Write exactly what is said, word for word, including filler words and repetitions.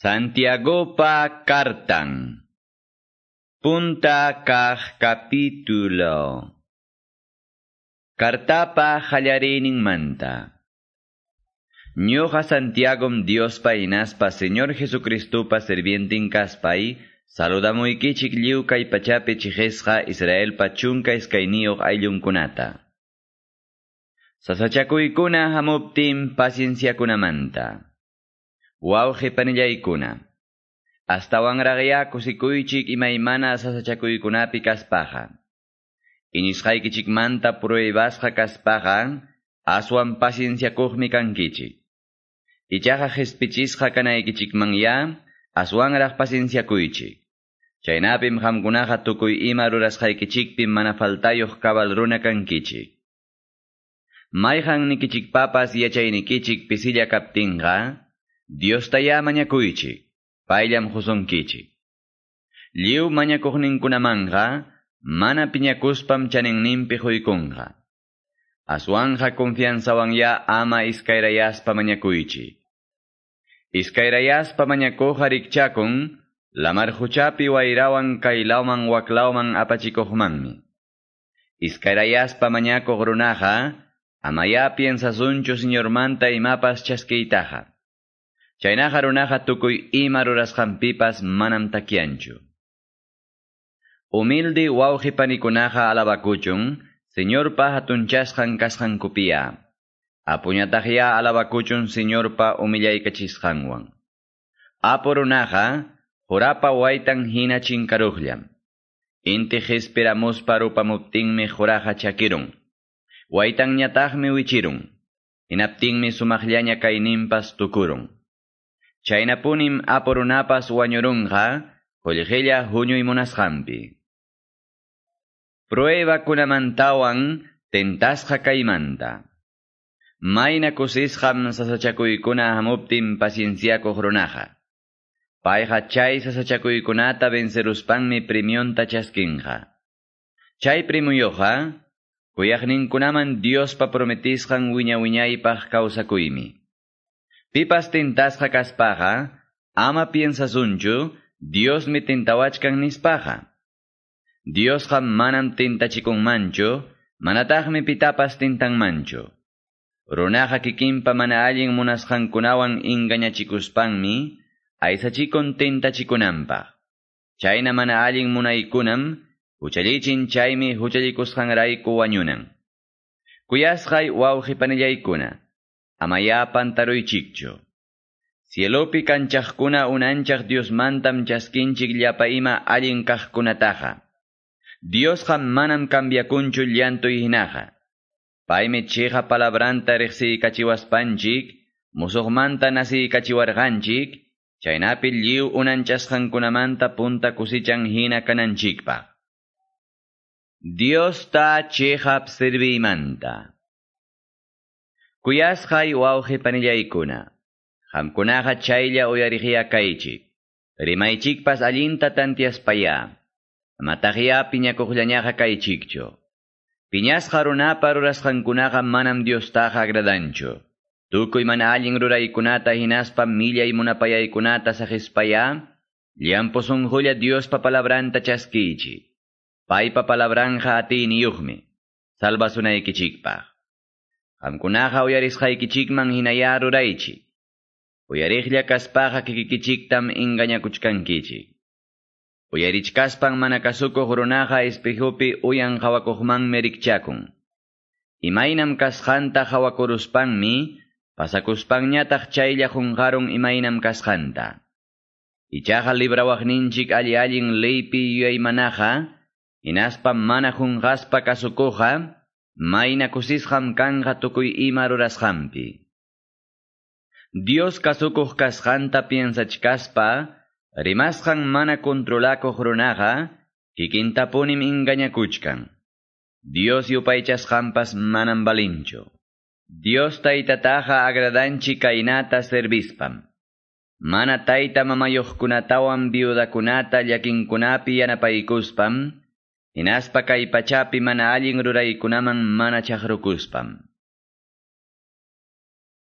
Santiagopa kartan. Punta kaq capítulo. Kartapa manta. Ñuqa Santiagom Diospa hinaspa Señor Jesucristopa sirvientin kaspay, saludamuykichik lliw kay pachapi chiqisqa Israelpa chunka iskayniyuq ayllunkunata. Sasachakuykuna hamuptin pacienciakunamanta. Wawqi panillaykuna. Astawanraqya kusikuychik imaymana sasachakuykunapi kaspaqa. Iñisqaykichikmanta pruebasqa kaspaqa, aswan pacienciakuqmi kankichik. Ichaqa qhispichisqa kanaykichikmanya, aswanraq pacienciakuychik. Chaynapim qamkunaqa tukuy ima rurasqaykichikpi mana faltayuq cabal runa kankichik. Mayqan nikichikpapas yachaynikichik pisilla kaptinqa, Diostaya mañakuychik, payllam husunkichik. Lliw mañakuqninkunamanqa, mana piñakuspam chaninninpi huykunqa. Aswanja confianzawanya ama iskayrayaspa mañakuychik. Iskayrayaspa mañakuqa rikchakun, lamar huchapi wayrawan kaylawman waklawman apachikuqmanmi. Iskayrayaspa mañakuq runaqa, amaya piensasunchu Señormanta imapas chaskiytaqa. Chaynaqa runaqa tukuy ima rurasqanpipas manam takyanchu. Humilde wawqi panikunaqa alabakuchun, Señorpa hatunchasqan kasqankupiya. Apuñataqya alabakuchun Señorpa humillaykachisqanwan. Apu runaqa, qurapa waytan hina chinkaruqllam. Inti qispiramuspa rupamuptinmi quraqa chakirun. Waytanñataqmi wichirun. Hinaptinmi sumaqllaña kayninpas tukurun. Chaynapunim apu runapas wañurunqa, qullqilla huñuy munasqanpi. Pruebakunamantawan tentasqa kaymanta. Mayna kusisqam sasachakuykuna hamuptin pacienciakuq runaqa. Payqa chay sasachakuykunata venceruspanmi premionta chaskinqa. Chay premioqa, kuyaqninkunaman Diospa prometisqan wiña wiñaypaq kawsakuymi. Pipas tentasqa kaspaqa, ama piensasunchu, Diosmi tentawachkan nispaqa. Diosqa manam tentachikunmanchu, manataqmi pitapas tentanmanchu. Runaqa kikinpa mana allin munasqankunawan engañachikuspanmi, aysachikun tentachikunanpaq. Chayna mana allin munaykunam, huchallichin chaymi huchallikusqanrayku wañunan. Kuyasqay wawqi panillaykuna, amaya pantaruychikchu. Cielopi kanchaqkuna unanchaq Diosmantam chaskinchik llapa ima allin kaqkunataqa. Diosqa manam cambiakunchu llantuy hinaqa. Paymi chiqa palabranta riqsiykachiwaspanchik, musuqmanta nasiykachiwarqanchik, chaynapi lliw unanchasqankunamanta punta kusichan hina kananchikpaq. Diosta chiqap serviymanta. Kuyasqay wawqi panillaykuna, qamkunaqa chaylla uyariqya kaychik, rimaychikpas allinta tantiaspaya, amataqya piñakuqllañaqa kaychikchu. Piñasqa runapa rurasqankunaqa manam Diostaqa agradanchu. Tukuy mana allin ruraykunata hinaspa millay munapayaykunata saqispaya, llampu sunqulla Diospa palabranta chaskiychik. Paypa palabranja atiyniyuqmi, salvasunaykichikpaq. Qamkunaqa uyarisqaykichikman hinaya ruraychik. Uyariqlla kaspaqa kikikichiktam engañakuchkankichik. Uyarichkaspan mana kasukuq runaqa espejopi uyan qawakuqmanmi rikchakun. Imaynam kasqanta qawakuruspanmi, pasakuspanñataq chaylla qunqarun imaynam kasqanta. Ichaqa librawaqninchik alli allin leypi yuyaymanaqa, hinaspa mana qunqaspa kasukuqqa, mayna kusisqam kanqa tukuy ima rurasqanpi. Dios kasukuq kasqanta piensachkaspa, rimasqan mana controlakuq runaqa, kikintapunim engañakuchkan. Dios yupaychasqanpas manam balinchu. Dios taytataqa agradanchik kaynata servispam. Mana tayta mamayuqkunatawan viudakunata llakinkunapi yanapaykuspam, hinaspa kay pachapi mana allin ruraykunaman mana chaqrukuspam.